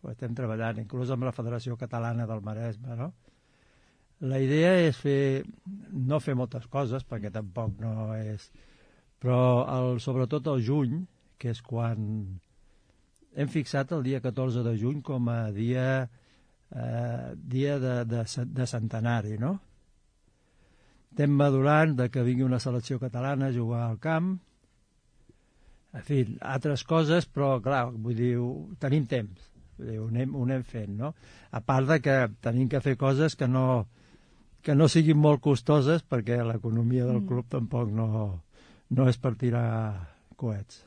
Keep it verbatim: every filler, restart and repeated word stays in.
ho estem treballant, inclús amb la Federació Catalana del Maresme, no? La idea és fer, no fer moltes coses, perquè tampoc no és... Però el, sobretot el juny, que és quan hem fixat el dia catorze de juny com a dia, eh, dia de, de, de centenari, no? Estem madurant de que vingui una selecció catalana a jugar al camp, en fi, altres coses, però clar, vull dir, tenim temps, vull dir, ho, anem, ho anem fent, no? A part de que tenim que fer coses que no, que no siguin molt costoses, perquè l'economia del club tampoc no, no és per tirar coets.